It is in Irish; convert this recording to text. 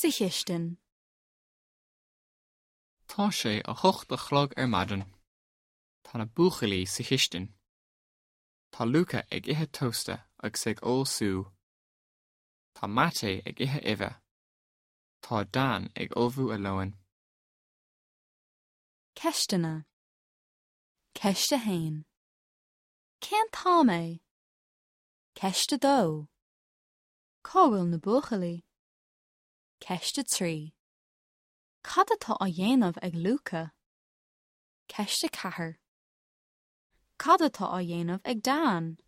Sa chistin. Tá sé 8 a chlog ar maidin. Tá na buachaillí sa chistin. Tá Luca ag ithe tósta agus ag ól sú. Tá Maté ag ithe uibhe. Tá Dan ag ullmhú a lóin. Ceisteanna. Ceist 1. Cén t-am é? Ceist 2. Cá bhfuil na buachaillí? Ceist 3. Cad atá á dhéanamh ag Luca? Ceist 4. Cad atá á dhéanamh ag Dan?